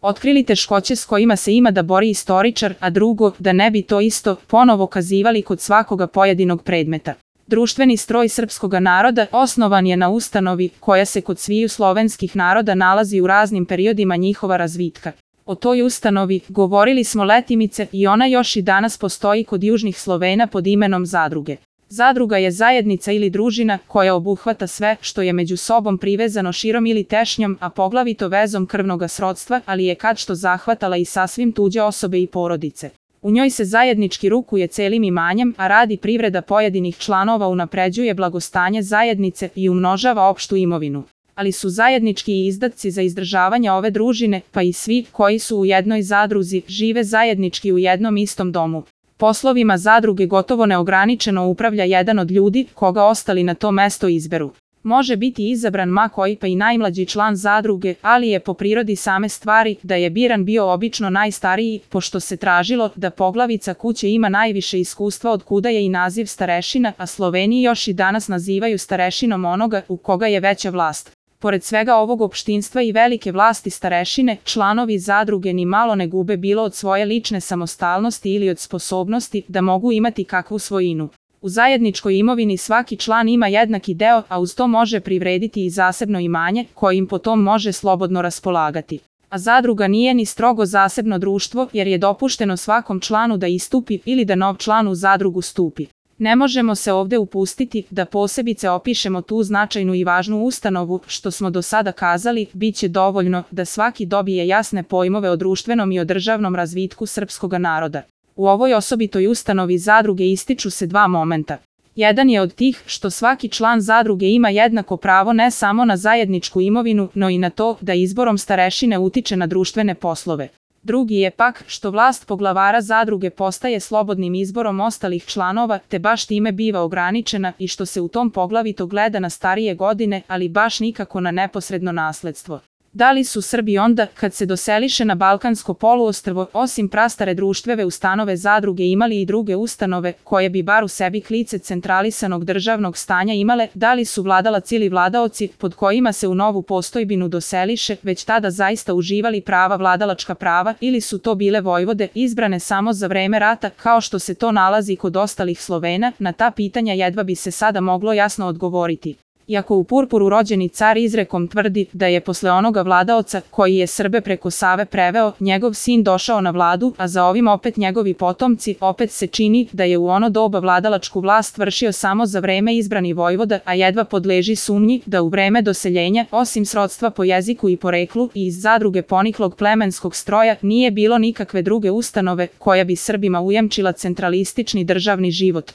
otkrili teškoće s kojima se ima da bori istoričar, a drugo, da ne bi to isto ponovo kazivali kod svakoga pojedinog predmeta. Društveni stroj srpskoga naroda osnovan je na ustanovi koja se kod sviju slovenskih naroda nalazi u raznim periodima njihova razvitka. O toj ustanovi govorili smo letimice i ona još i danas postoji kod južnih Slovena pod imenom zadruge. Zadruga je zajednica ili družina koja obuhvata sve što je među sobom privezano širom ili tešnjom, a poglavito vezom krvnoga srodstva, ali je kad što zahvatala i sasvim tuđe osobe i porodice. U njoj se zajednički rukuje celim imanjem, a radi privreda pojedinih članova, unapređuje blagostanje zajednice i umnožava opštu imovinu. Ali su zajednički i izdatci za izdržavanje ove družine, pa i svi koji su u jednoj zadruzi žive zajednički u jednom istom domu. Poslovima zadruge gotovo neograničeno upravlja jedan od ljudi koga ostali na to mesto izberu. Može biti izabran ma koji pa i najmlađi član zadruge, ali je po prirodi same stvari da je biran bio obično najstariji, pošto se tražilo da poglavica kuće ima najviše iskustva, od kuda je i naziv starešina, a Sloveniji još i danas nazivaju starešinom onoga u koga je veća vlast. Pored svega ovog opštinstva i velike vlasti starešine, članovi zadruge ni malo ne gube bilo od svoje lične samostalnosti ili od sposobnosti da mogu imati kakvu svojinu. U zajedničkoj imovini svaki član ima jednaki deo, a uz to može privrediti i zasebno imanje, kojim potom može slobodno raspolagati. A zadruga nije ni strogo zasebno društvo, jer je dopušteno svakom članu da istupi ili da nov član u zadrugu stupi. Ne možemo se ovde upustiti da posebice opišemo tu značajnu i važnu ustanovu, što smo do sada kazali, bit će dovoljno da svaki dobije jasne pojmove o društvenom i o državnom razvitku srpskoga naroda. U ovoj osobitoj ustanovi zadruge ističu se dva momenta. Jedan je od tih što svaki član zadruge ima jednako pravo ne samo na zajedničku imovinu, no i na to da izborom starešine utiče na društvene poslove. Drugi je pak što vlast poglavara zadruge postaje slobodnim izborom ostalih članova, te baš time biva ograničena i što se u tom poglavito gleda na starije godine, ali baš nikako na neposredno nasledstvo. Da li su Srbi onda, kad se doseliše na Balkansko poluostrvo, osim prastare društvene ustanove zadruge imali i druge ustanove, koje bi bar u sebi klice centralisanog državnog stanja imale, da li su vladalac ili vladaoci, pod kojima se u novu postojbinu doseliše, već tada zaista uživali prava vladalačka prava, ili su to bile vojvode, izbrane samo za vreme rata, kao što se to nalazi kod ostalih Slovena, na ta pitanja jedva bi se sada moglo jasno odgovoriti. Iako u purpuru rođeni car izrekom tvrdi da je posle onoga vladaoca, koji je Srbe preko Save preveo, njegov sin došao na vladu, a za ovim opet njegovi potomci, opet se čini da je u ono doba vladalačku vlast vršio samo za vreme izbrani vojvoda, a jedva podleži sumnji da u vreme doseljenja, osim srodstva po jeziku i poreklu i iz zadruge poniklog plemenskog stroja, nije bilo nikakve druge ustanove koja bi Srbima ujamčila centralistični državni život.